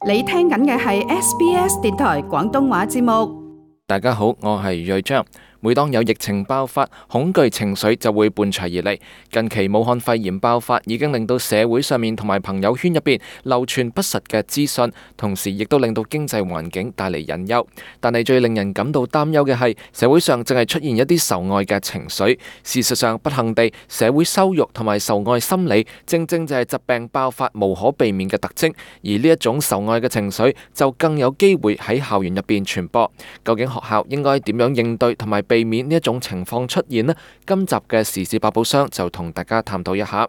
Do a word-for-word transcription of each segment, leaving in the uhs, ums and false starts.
你聽緊嘅係 S B S 電台廣東話節目。大家好，我係瑞章。每當有疫情爆發，恐懼情緒就會伴隨而嚟。近期武漢肺炎爆發已經令到社會上面同埋朋友圈入邊流傳不實嘅資訊，同時亦都令到經濟環境帶嚟隱憂。但係最令人感到擔憂嘅係，社會上正係出現一啲受愛嘅情緒。事實上，不幸地，社會羞辱同埋受愛心理，正正就係疾病爆發無可避免嘅特徵。而呢一種受愛嘅情緒，就更有機會喺校園入邊傳播。究竟學校應該點樣應對同埋避免呢一種情況出現呢？今集嘅時事百寶箱就同大家探討一下。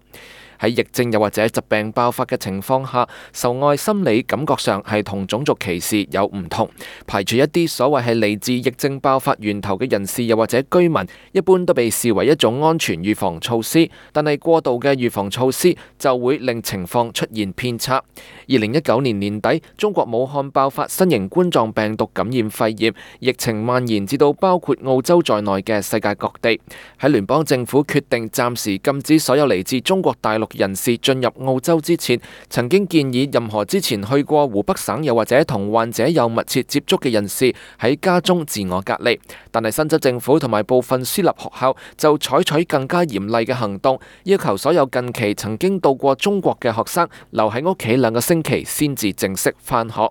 喺疫症又或者疾病爆發嘅情況下，受愛心理感覺上係同種族歧視有唔同。排除一啲所謂係嚟自疫症爆發源頭嘅人士又或者居民，一般都被視為一種安全預防措施。但係過度嘅預防措施就會令情況出現偏差。二零一九年年底，中國武漢爆發新型冠狀病毒感染肺炎，疫情蔓延至到包括澳洲在內嘅世界各地。喺聯邦政府決定暫時禁止所有嚟自中國大陸人士進入澳洲之前，曾經建議任何之前去過湖北省又或者同患者有密切接觸嘅人士喺家中自我隔離。但係新州政府同埋部分私立學校就採取更加嚴厲嘅行動，要求所有近期曾經到過中國嘅學生留喺屋企兩個星期先至正式返學。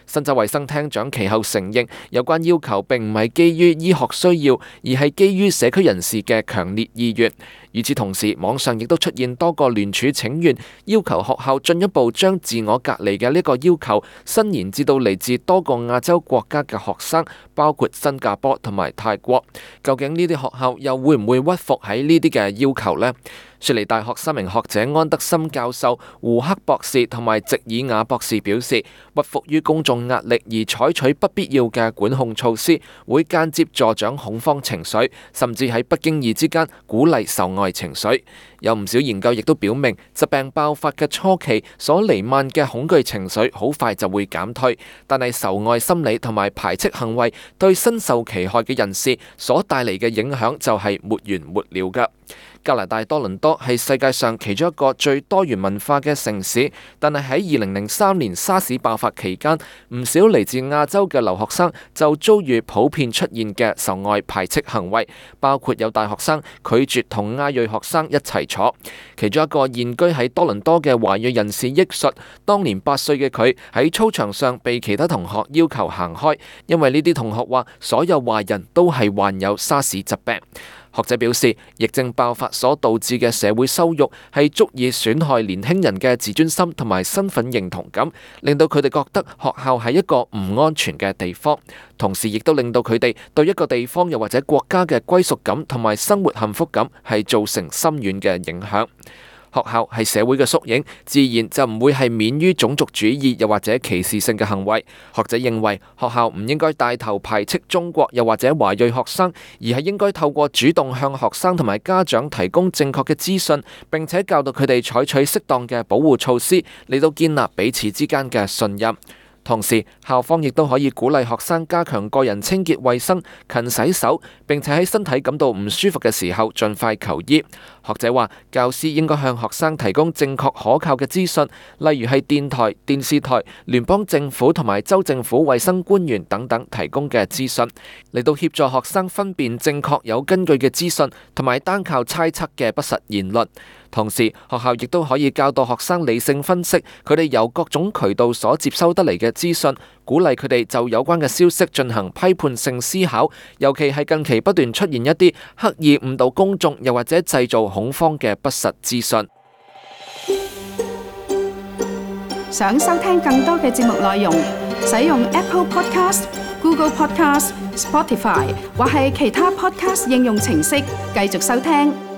新州衛生廳長其後承認，有關要求並唔係基於醫學需要，而係基於社區人士嘅強烈意願。與此同時，網上亦都出現多個聯署請願，要求學校進一步將自我隔離嘅呢個要求伸延至到嚟自多個亞洲國家嘅學生，包括新加坡同埋泰國。究竟呢啲學校又會唔會屈服喺呢啲嘅要求呢？雪梨大學三名學者安德森教授、胡克博士同埋席爾雅博士表示，屈服於公眾壓力而採取不必要嘅管控措施，會間接助長恐慌情緒，甚至喺不經意之間鼓勵受愛情緒。有唔少研究亦都表明，疾病爆發嘅初期所彌漫嘅恐懼情緒好快就會減退，但係受愛心理同埋排斥行為對身受其害嘅人士所帶嚟嘅影響就係沒完沒了㗎。加拿大多倫多係世界上其中一個最多元文化嘅城市，但係喺二零零三年沙士爆發期間，唔少嚟自亞洲嘅留學生就遭遇普遍出現嘅受愛排斥行為，包括有大學生拒絕同亞裔學生一齊坐。其中一個現居喺多倫多嘅華裔人士憶述，當年八歲嘅佢喺操場上被其他同學要求行開，因為呢啲同學話所有華人都係患有沙士疾病。學者表示，疫症爆發所導致嘅社會羞辱係足以損害年輕人嘅自尊心同埋身份認同感，令到佢哋覺得學校係一個唔安全嘅地方，同時亦都令到佢哋對一個地方又或者國家嘅歸屬感同埋生活幸福感係造成深遠嘅影響。學校係社會嘅縮影，自然就唔會係免於種族主義又或者歧視性嘅行為。學者認為，學校唔應該帶頭排斥中國又或者華裔學生，而係應該透過主動向學生同埋家長提供正確嘅資訊，並且教導佢哋採取適當嘅保護措施，嚟到建立彼此之間嘅信任。同時，校方亦都可以鼓勵學生加強個人清潔衛生、勤洗手，並且喺身體感到唔舒服嘅時候盡快求醫。學者話，教師應該向學生提供正確可靠嘅資訊，例如係電台、電視台、聯邦政府同埋州政府衛生官員等等提供嘅資訊，嚟到協助學生分辨正確有根據嘅資訊，同埋單靠猜測嘅不實言論。同時，學校亦都可以教導學生理性分析佢哋由各種渠道所接收得嚟嘅資訊，鼓勵佢哋就有關嘅消息進行批判性思考，尤其係近期不斷出現一啲刻意誤導公眾又或者製造恐慌嘅不實資訊。想收聽更多嘅節目內容，使用 Apple Podcast、Google Podcast、Spotify 或係其他 Podcast 應用程式繼續收聽。